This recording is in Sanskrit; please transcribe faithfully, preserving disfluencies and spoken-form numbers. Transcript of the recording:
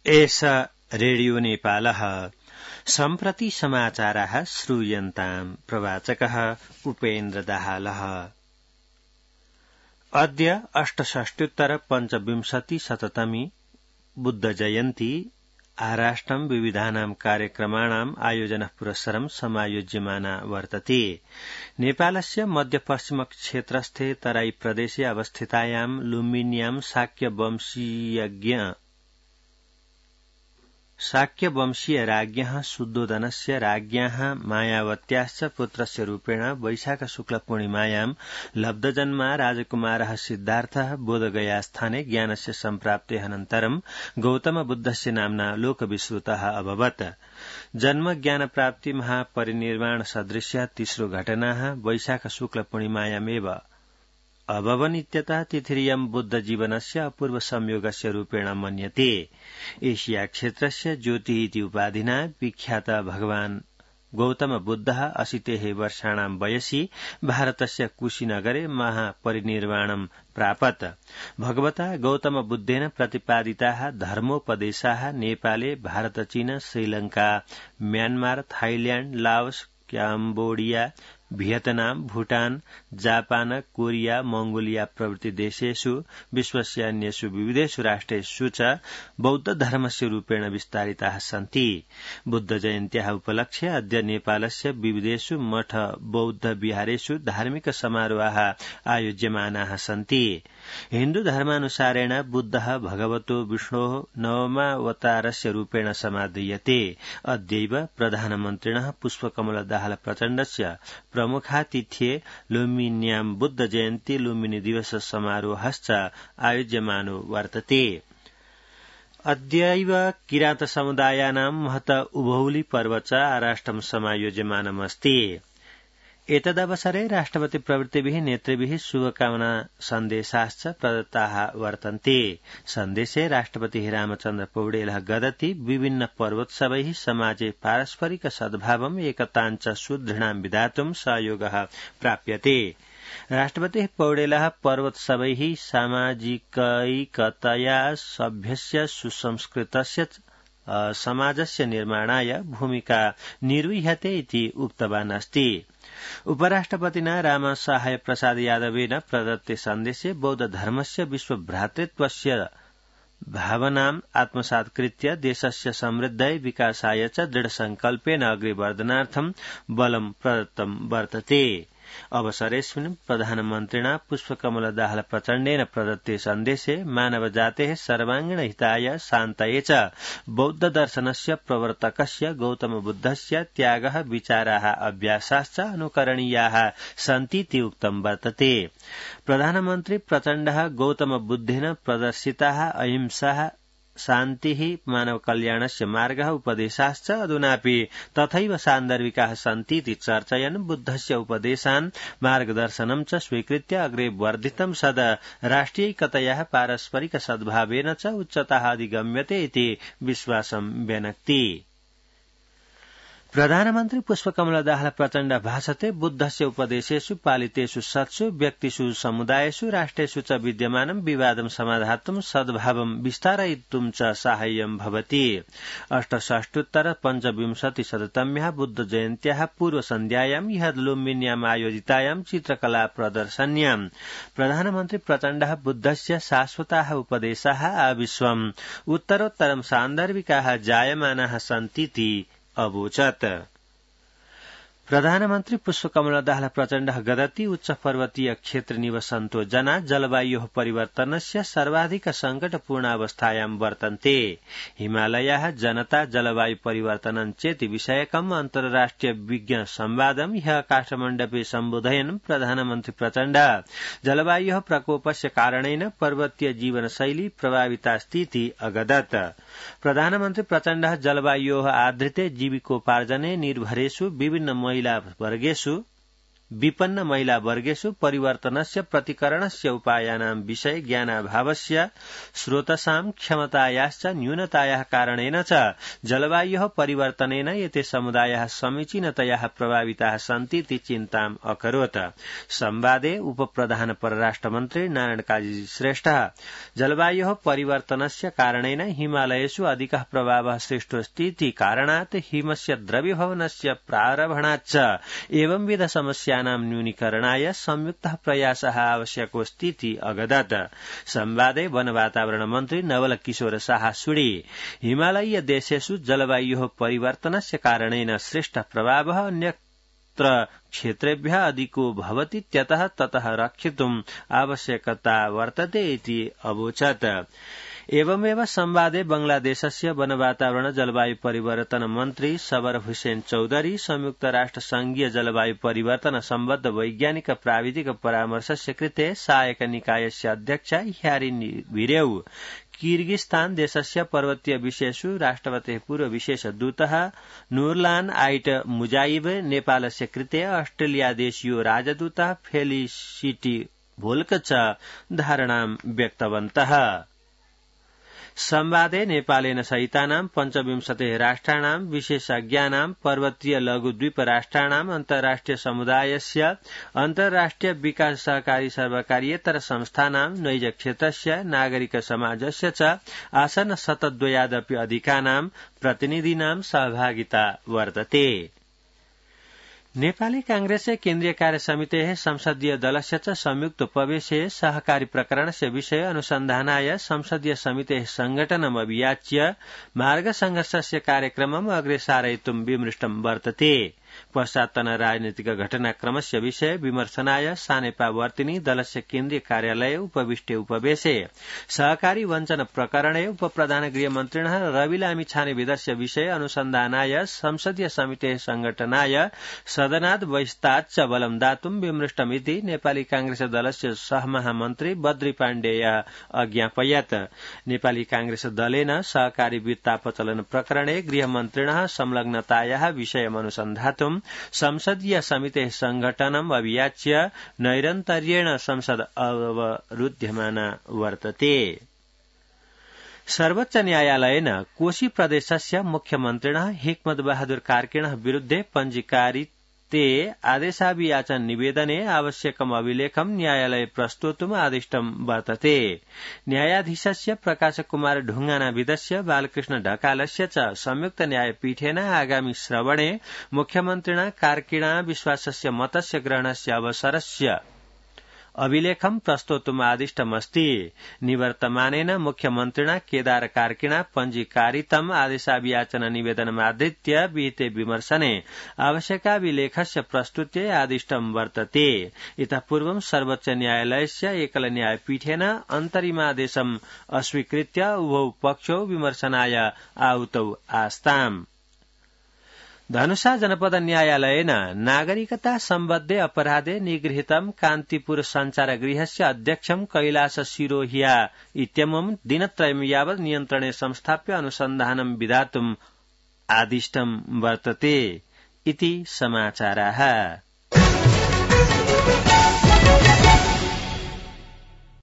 एष रेडियो नेपालः सम्प्रति समाचाराः श्रूयन्ताम् प्रवाचकः उपेन्द्र दाहालः। अद्य अष्टषष्ट्युत्तर पञ्चविंशति शततमी बुद्ध जयन्ती आराष्ट्रं विविधानां कार्यक्रमाणाम् आयोजनः पुरस्सरं समायोज्यमाना वर्तते। नेपालस्य मध्यपश्चिम क्षेत्रस्थे तराई प्रदेशे अवस्थितायां लुम्बिन्यां शाक्यवंशीयज्ञ शाक्यवंशीय राज्ञः शुद्धोदनस्य राज्ञः मायावत्याश्च पुत्रस्य रूपेण वैशाख शुक्ल पूर्णिमायां लब्धजन्मा राजकुमारः सिद्धार्थः बोधगयास्थाने ज्ञानस्य सम्प्राप्तेः अनन्तरं गौतमबुद्धस्य नाम्ना लोकविश्रुतः अभवत्। जन्म ज्ञानप्राप्ति महापरिनिर्वाण सदृश्य तीसरो घटनाः वैशाख शुक्ल पूर्णिमायामेव अभवन् इत्यतः तिथिरियं बुद्ध जीवनस्य अपूर्व संयोगस्य रूपेण मन्यते। एशिया क्षेत्रस्य ज्योतिः इति उपाधिना विख्यात भगवान् गौतम बुद्धः अशीतेः वर्षाणां वयसि भारतस्य कुशीनगरे महापरिनिर्वाणं प्रापत्। भगवता गौतम बुद्धेन प्रतिपादिताः धर्मोपदेशाः नेपाले भारत चीन Sri Lanka Myanmar Thailand Laos Cambodia Vietnam Bhutan Japan Korea Mongolia प्रभृति देशेषु विश्वस्य अन्येषु विविधेषु राष्ट्रेषु च बौद्ध धर्मस्य रूपेण विस्तारिताः सन्ति। बुद्ध जयन्त्याः उपलक्ष्ये अद्य नेपालस्य विविधेषु मठ बौद्ध विहारेषु धार्मिक समारोहाः आयोज्यमानाः सन्ति। हिन्दू धर्मानुसारेण बुद्धः भगवतो विष्णोः नवमावतारस्य रूपेण समादीयते। अद्यैव प्रधानमन्त्रिणः पुष्पकमल दाहाल प्रचण्डस्य प्रमुखातिथ्ये लुम्बिन्यां बुद्ध जयन्ती लुम्बिनी दिवस समारोहश्च आयोज्यमानो वर्तते। अद्यैव किरात समुदायानां महत उभौली पर्व च आराष्ट्रं समायोज्यमानमस्ति। एतदवसरे राष्ट्रपति प्रभृतिभिः नेतृभिः शुभकामना सन्देशाश्च प्रदत्ताः वर्तन्ते। सन्देशे राष्ट्रपतिः रामचन्द्र पौडेलः गदति विभिन्न पर्वोत्सवैः समाजे पारस्परिक सद्भावम् एकताञ्च सुदृढां विधातुं सहयोगः प्राप्यते। राष्ट्रपतिः पौडेलः पर्वोत्सवैः सामाजिकैकतया सभ्यस्य सुसंस्कृतस्य समाजस्य निर्माणाय भूमिका निर्वह्यते इति उक्तवान् अस्ति। उपराष्ट्रपतिना रामसहाय प्रसाद यादवेन प्रदत्ते सन्देशे बौद्ध धर्मस्य विश्वभ्रातृत्वस्य भावनाम् आत्मसात्कृत्य देशस्य समृद्धयै विकासाय च दृढसंकल्पेन अग्रेवर्धनार्थं बलं प्रदत्तं वर्तते। अवसरेऽस्मिन् प्रधानमन्त्रिणा पुष्पकमल दाहाल प्रचण्डेन प्रदत्ते सन्देशे मानवजातेः सर्वाङ्गीण हिताय शान्तये च बौद्ध दर्शनस्य प्रवर्तकस्य गौतम बुद्धस्य त्यागः विचाराः अभ्यासाश्च अनुकरणीयाः सन्तीति उक्तं वर्तते। प्रधानमन्त्री प्रचण्डः गौतम बुद्धेन प्रदर्शिताः अहिंसाः शान्तिः मानवकल्याणस्य मार्गः उपदेशाश्च अधुनापि तथैव सान्दर्भिकाः सन्तीति चर्चयन् बुद्धस्य उपदेशान् मार्गदर्शनं च स्वीकृत्य अग्रे वर्धितं सद राष्ट्रियैकतयाः पारस्परिक सद्भावेन च उच्चताः अधिगम्यते इति विश्वासं व्यनक्ति। प्रधानमन्त्री पुष्पकमल दाहाल प्रचण्ड भाषते बुद्धस्य उपदेशेषु पालितेषु सत्सु व्यक्तिषु समुदायेषु राष्ट्रेषु च विद्यमानं विवादं समाधातुं सद्भावं विस्तारयितुं च साहाय्यं भवति। अष्टषष्ट्युत्तर पञ्चविंशति शततम्याः बुद्ध जयन्त्याः पूर्वसन्ध्यायां ह्यः लुम्बिन्याम् आयोजितायां चित्रकला प्रदर्शन्यां प्रधानमन्त्री प्रचण्डः बुद्धस्य शाश्वताः उपदेशाः आविश्वम् उत्तरोत्तरं सान्दर्भिकाः जायमानाः सन्तीति अवोचत्। प्रधानमन्त्री पुष्पकमल दाहाल प्रचण्डः गदति उच्च पर्वतीय क्षेत्र निवसन्तो जना जलवायोः परिवर्तनस्य सर्वाधिक सङ्कटपूर्ण अवस्थायां वर्तन्ते। हिमालयाः जनता जलवायु परिवर्तनं चेति विषयकम् अन्तर्राष्ट्रिय विज्ञ संवादं ह्यः काठमाण्डवे सम्बोधयन् प्रधानमन्त्री प्रचण्ड जलवायोः प्रकोपस्य कारणेन पर्वतीय जीवनशैली प्रभावितास्तीति अगदत्। प्रधानमन्त्री प्रचण्डः जलवायोः आधृते जीविकोपार्जने निर्भरेषु विभिन्न महिला वर्गेषु विपन्न महिला वर्गेषु परिवर्तनस्य प्रतिकरणस्य उपायानां विषये ज्ञानाभावस्य स्रोतसां क्षमतायाश्च न्यूनतायाः कारणेन च जलवायोः परिवर्तनेन एते समुदायाः समीचीनतया प्रभाविताः सन्ति इति चिन्ताम् अकरोत्। संवादे उपप्रधान परराष्ट्रमन्त्री नारायण काजी श्रेष्ठः जलवायोः परिवर्तनस्य कारणेन हिमालयेषु अधिकः प्रभावः सृष्टोऽस्ति इति कारणात् हिमस्य द्रवीभवनस्य प्रारम्भाच्च एवंविध समस्यानां न्यूनीकरणाय संयुक्तः प्रयासः आवश्यकोऽस्ति इति अगदत्। संवादे वन वातावरण मन्त्री नवल किशोर साहसुडी हिमालयीय देशेषु जलवायोः परिवर्तनस्य कारणेन सृष्टः प्रभावः अन्यत्र क्षेत्रेभ्यः अधिको भवतीत्यतः ततः रक्षितुम् आवश्यकता वर्तते इति अवोचत्। एवमेव संवादे बांग्लादेशस्य वन वातावरण जलवायु परिवर्तन मन्त्री सबर हुसैन चौधरी संयुक्त राष्ट्र संघीय जलवायु परिवर्तन सम्बद्ध वैज्ञानिक प्राविधिक परामर्शस्य कृते सहायक निकायस्य अध्यक्ष ह्यारी भिरेउ किर्गिस्तान देशस्य पर्वतीय विषयेषु राष्ट्रपतेः पूर्व विशेष दूतः नूरलान आइट मुजाइब नेपालस्य कृते ऑस्ट्रेलियादेशीयो राजदूतः फेलिसिटी भोल्क च धारणां व्यक्तवन्तः। संवादे नेपालेन सहितानां पञ्चविंशतिः राष्ट्राणां विशेषज्ञानां पर्वतीय लघुद्वीप राष्ट्राणां अन्ताराष्ट्रिय समुदायस्य अन्ताराष्ट्रिय विकास सहकारी सर्वकारीयेतर संस्थानां नैज क्षेत्रस्य नागरिक समाजस्य च आसन्न शतद्वयादपि अधिकानां प्रतिनिधीनां सहभागिता वर्तते। नेपाली कांग्रेसस्य केन्द्रीय कार्य समितेः संसदीय दलस्य च संयुक्तोपवेशे सहकारी प्रकरणस्य विषये अनुसन्धानाय संसदीय समितेः संघटनम् अभियाच्य मार्गसंघर्षस्य कार्यक्रमम् अग्रे सारयितुं विमृष्टं वर्तते। पश्चात्तन राजनीतिक घटनाक्रमस्य विषये विमर्शनाय सानेपावर्तिनी दलस्य केन्द्रीय कार्यालये उपविष्टे उपवेशे सहकारी वञ्चन प्रकरणे उपप्रधान गृहमन्त्रिणः रवि लामिछानेविदस्य विषये अनुसन्धानाय संसदीय समितेः संघटनाय सदनात् बहिष्ताच्च बलं दातुं विमृष्टमिति नेपाली कांग्रेस दलस्य सहमहामन्त्री बद्री पाण्डेयः अज्ञापयत्। नेपाली कांग्रेस दलेन सहकारी वित्तापचलन प्रकरणे गृहमन्त्रिणः संलग्नतायाः विषयमनुसन्धातुं संसदीय समितेः संघटनम् अभियाच्य नैरन्तर्येण संसद अवरुध्यमाना वर्तते। सर्वोच्च न्यायालयेन कोशी प्रदेशस्य मुख्यमन्त्रिणः हिक्मत बहादुर कार्कीणः विरुद्धे पञ्जीकारिते आदेशाभियाचन निवेदने आवश्यकम् अभिलेखं न्यायालये प्रस्तोतुम् आदिष्टं वर्तते। न्यायाधीशस्य प्रकाश कुमार ढुंगानाविदस्य बालकृष्ण ढकालस्य च संयुक्त न्यायपीठेन आगामि श्रवणे मुख्यमन्त्रिणा कार्कीणा विश्वासस्य मतस्य ग्रहणस्य अवसरस्य अभिलेखं प्रस्तोतुम् आदिष्टमस्ति। निवर्तमानेन मुख्यमन्त्रिणा केदार कार्कीणा पञ्जीकारितम् आदेशाभियाचन निवेदनमाधृत्य विहिते विमर्शने आवश्यकाभिलेखस्य प्रस्तुत्यै आदिष्टं वर्तते। इतः पूर्वं सर्वोच्च न्यायालयस्य एकल न्यायपीठेन अन्तरिमादेशम् अस्वीकृत्य उभौ पक्षौ विमर्शनाय आहुतौ आस्ताम्। धनुषा जनपद न्यायालयेन नागरिकता सम्बद्धे अपराधे निगृहीतं कान्तिपुर सञ्चारगृहस्य अध्यक्षं कैलास सिरोहिया इत्यमुं दिनत्रयं यावत् नियन्त्रणे संस्थाप्य अनुसन्धानं विधातुम् आदिष्टं वर्तते इति समाचाराः।